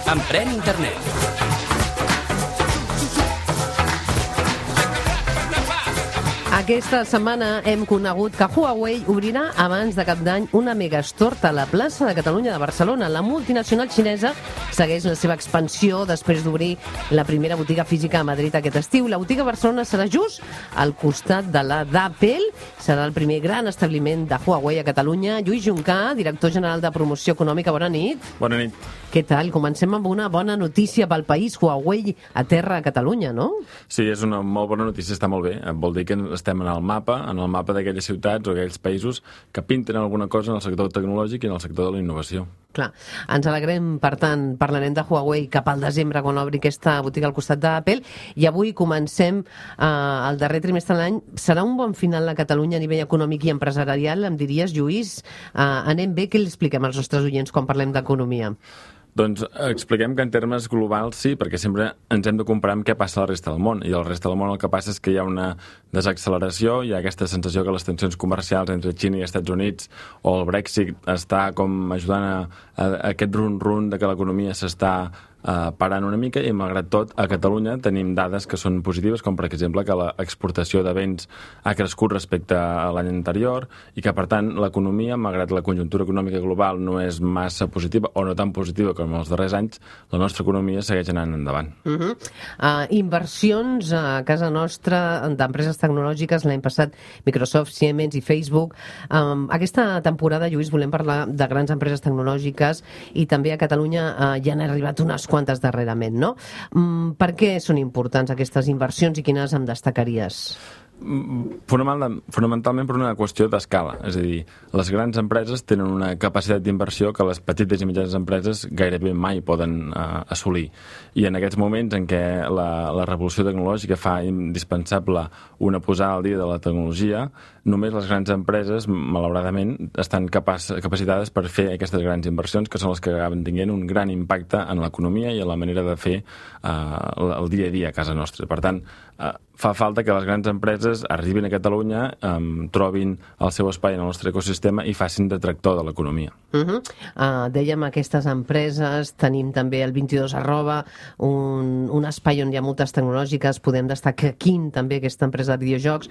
Emprèn Internet. Aquesta setmana hem conegut que Huawei obrirà abans de cap d'any una megastore a la plaça de Catalunya de Barcelona. La multinacional xinesa segueix la seva expansió després d'obrir la primera botiga física a Madrid aquest estiu. La botiga a Barcelona serà just al costat de la d'Apple. Serà el primer gran establiment de Huawei a Catalunya. Lluís Juncà, director general de Promoció Econòmica, bona nit. Bona nit. Què tal? Comencem amb una bona notícia pel país. Huawei aterra a Catalunya, no? Sí, és una molt bona notícia, està molt bé. Vol dir que estem en el mapa d'aquelles ciutats o aquells països que pinten alguna cosa en el sector tecnològic i en el sector de la innovació. Clar, ens alegrem, per tant, parlarem de Huawei cap al desembre quan obri aquesta botiga al costat d'Apple, i avui comencem el darrer trimestre de l'any. Serà un bon final a Catalunya a nivell econòmic i empresarial, em diries, Lluís? Anem bé, què li expliquem als nostres oients quan parlem d'economia? Doncs expliquem que en termes globals sí, perquè sempre ens hem de comparar amb què passa a la resta del món. I a la resta del món el que passa és que hi ha una desacceleració, hi ha aquesta sensació que les tensions comercials entre Xina i Estats Units o el Brexit està com ajudant a aquest run-run de que l'economia s'està parant una mica, i malgrat tot a Catalunya tenim dades que són positives, com per exemple que l'exportació de béns ha crescut respecte a l'any anterior i que per tant l'economia, malgrat la conjuntura econòmica global no és massa positiva o no tan positiva com els darrers anys, la nostra economia segueix anant endavant. Inversions a casa nostra d'empreses tecnològiques l'any passat, Microsoft, Siemens i Facebook. Aquesta temporada, Lluís, volem parlar de grans empreses tecnològiques, i també a Catalunya ja han arribat unes quantes darrerament, no? Per què són importants aquestes inversions i quines em destacaries? Fonamentalment per una qüestió d'escala, és a dir, les grans empreses tenen una capacitat d'inversió que les petites i mitjanes empreses gairebé mai poden assolir, i en aquests moments en què la revolució tecnològica fa indispensable una posada al dia de la tecnologia, només les grans empreses, malauradament, estan capacitades per fer aquestes grans inversions, que són les que acaben tinguent un gran impacte en l'economia i en la manera de fer el dia a dia a casa nostra. Per tant, fa falta que les grans empreses arribin a Catalunya, trobin el seu espai en el nostre ecosistema i facin de tractor de l'economia. Dèiem aquestes empreses, tenim també el 22 @, un espai on hi ha moltes tecnològiques, podem destacar King, també, aquesta empresa de videojocs.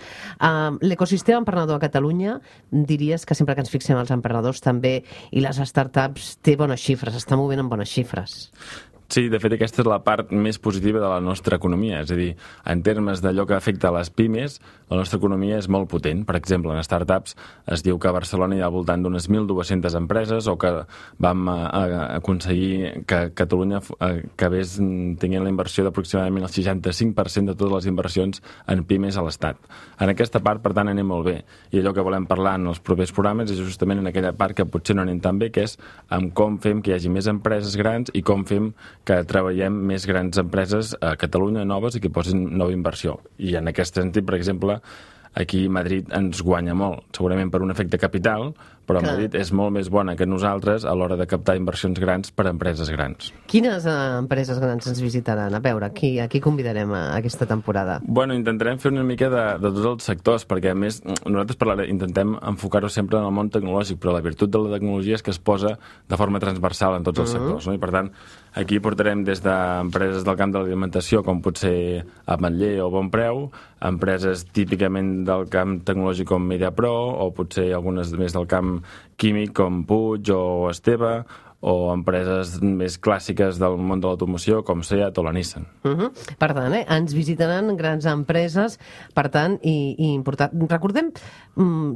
L'ecosistema emprenedor a Catalunya, diries que sempre que ens fixem els emprenedors també i les startups té bones xifres, està movent amb bones xifres. Sí, de fet, aquesta és la part més positiva de la nostra economia. És a dir, en termes d'allò que afecta a les pimes, la nostra economia és molt potent. Per exemple, en startups es diu que a Barcelona hi ha al voltant d'unes 1.200 empreses, o que vam aconseguir que Catalunya acabés tenint la inversió d'aproximadament el 65% de totes les inversions en pimes a l'Estat. En aquesta part, per tant, anem molt bé. I allò que volem parlar en els propers programes és justament en aquella part que potser no anem tan bé, que és amb com fem que hi hagi més empreses grans i com fem que treballem més grans empreses a Catalunya, noves, i que posin nova inversió. I en aquest sentit, per exemple, aquí Madrid ens guanya molt, segurament per un efecte capital, però Madrid és molt més bona que nosaltres a l'hora de captar inversions grans per a empreses grans. Quines empreses grans ens visitaran? A veure, a qui convidarem a aquesta temporada? Bueno, intentarem fer una mica de tots els sectors, perquè a més nosaltres intentem enfocar-ho sempre en el món tecnològic, però la virtut de la tecnologia és que es posa de forma transversal en tots els sectors, no? I per tant, aquí portarem des d'empreses del camp de l'alimentació, com pot ser Ametller o Bonpreu, empreses típicament del camp tecnològic com MediaPro, o potser algunes més del camp químic com Puig o Esteve, o empreses més clàssiques del món de l'automoció com Seat o la Nissan. Per tant, ens visitaran grans empreses, per tant, i important. Recordem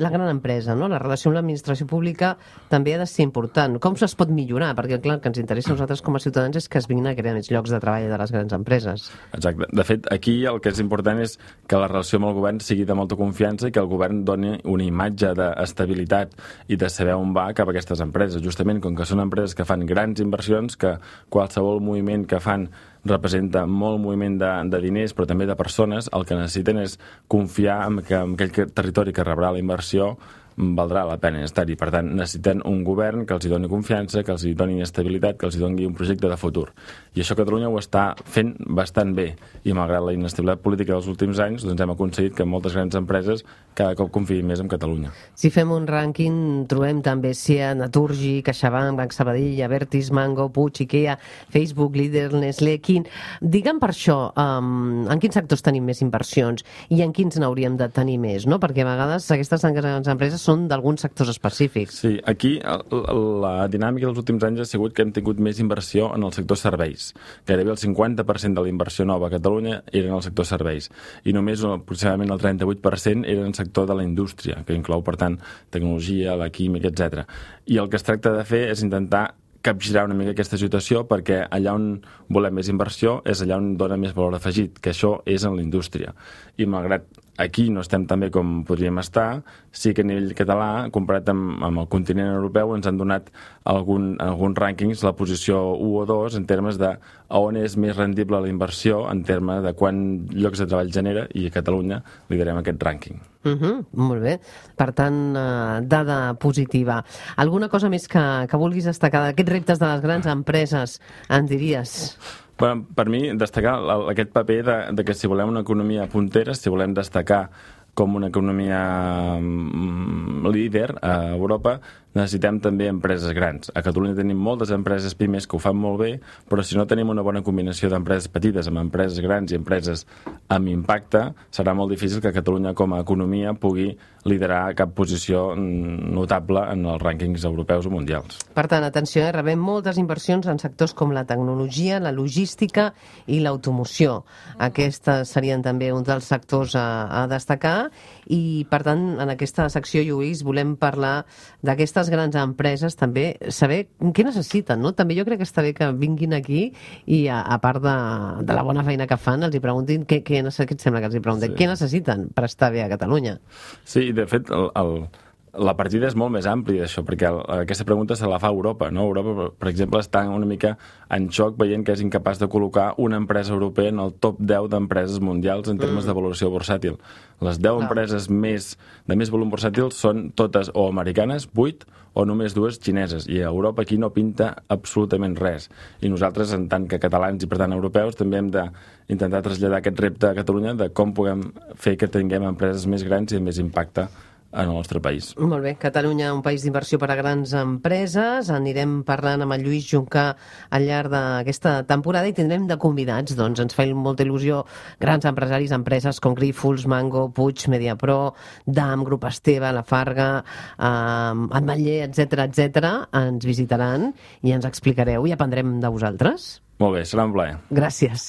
la gran empresa, no? La relació amb l'administració pública també ha de ser important. Com es pot millorar? Perquè, clar, el que ens interessa a nosaltres com a ciutadans és que es vinguin a crear més llocs de treball de les grans empreses. Exacte. De fet, aquí el que és important és que la relació amb el govern sigui de molta confiança i que el govern doni una imatge d'estabilitat i de saber on va cap a aquestes empreses. Justament, com que són empreses que fan grans inversions, que qualsevol moviment que fan representa molt moviment de diners, però també de persones, el que necessiten és confiar en que aquell territori que rebrà la inversió valdrà la pena estar-hi. Per tant, necessiten un govern que els hi doni confiança, que els hi doni estabilitat, que els hi doni un projecte de futur. I això Catalunya ho està fent bastant bé. I malgrat la inestabilitat política dels últims anys, doncs hem aconseguit que moltes grans empreses cada cop confiïn més en Catalunya. Si fem un rànquing, trobem també SIA, Naturgy, CaixaBank, Banc Sabadell, Abertis, Mango, Puig, Ikea, Facebook, Líder, Nestlé, Digue'm per això, en quins sectors tenim més inversions i en quins n'hauríem de tenir més, no? Perquè a vegades aquestes grans empreses són d'alguns sectors específics. Sí, aquí la dinàmica dels últims anys ha sigut que hem tingut més inversió en el sector serveis. Gairebé el 50% de la inversió nova a Catalunya era en el sector serveis i només aproximadament el 38% era en el sector de la indústria, que inclou, per tant, tecnologia, la química, etc. I el que es tracta de fer és intentar capgirar una mica aquesta situació, perquè allà on volem més inversió és allà on dona més valor afegit, que això és en la indústria. I malgrat aquí no estem tan bé com podríem estar, sí que a nivell català, comparat amb el continent europeu, ens han donat alguns rànquings la posició 1 o 2 en termes de on és més rendible la inversió, en termes de quant llocs de treball genera, i a Catalunya liderem aquest rànquing. Molt bé. Per tant, dada positiva. Alguna cosa més que vulguis destacar d'aquests reptes de les grans empreses, en diries? Bueno, per mi, destacar aquest paper de que si volem una economia puntera, si volem destacar com una economia líder a Europa, necessitem també empreses grans. A Catalunya tenim moltes empreses pimes que ho fan molt bé, però si no tenim una bona combinació d'empreses petites amb empreses grans i empreses amb impacte, serà molt difícil que Catalunya com a economia pugui liderar cap posició notable en els rànquings europeus o mundials. Per tant, atenció, rebem moltes inversions en sectors com la tecnologia, la logística i l'automoció. Aquests serien també uns dels sectors a destacar i, per tant, en aquesta secció, Lluís, volem parlar d'aquestes grans empreses, també saber què necessiten, no? També jo crec que està bé que vinguin aquí i, a part de la bona feina que fan, els hi preguntin què et sembla que els hi pregunten? Sí. Què necessiten per estar bé a Catalunya? Sí, de fet, la partida és molt més àmplia d'això, perquè aquesta pregunta se la fa Europa, no? Europa, per exemple, està una mica en xoc veient que és incapaç de col·locar una empresa europea en el top 10 d'empreses mundials en termes de valoració bursàtil. Les 10 empreses de més volum bursàtil són totes o americanes, 8, o només 2 xineses, i a Europa aquí no pinta absolutament res. I nosaltres, en tant que catalans i per tant europeus, també hem d'intentar traslladar aquest repte a Catalunya de com puguem fer que tinguem empreses més grans i amb més impacte en el nostre país. Molt bé, Catalunya, un país d'inversió per a grans empreses. Anirem parlant amb el Lluís Juncà al llarg d'aquesta temporada i tindrem de convidats, doncs ens fa molta il·lusió, grans empresaris, empreses com Grífols, Mango, Puig, Mediapro, DAM, Grup Esteve, La Farga, Ametller, etc. Ens visitaran i ens explicareu i aprendrem de vosaltres. Molt bé, serà un plaer. Gràcies.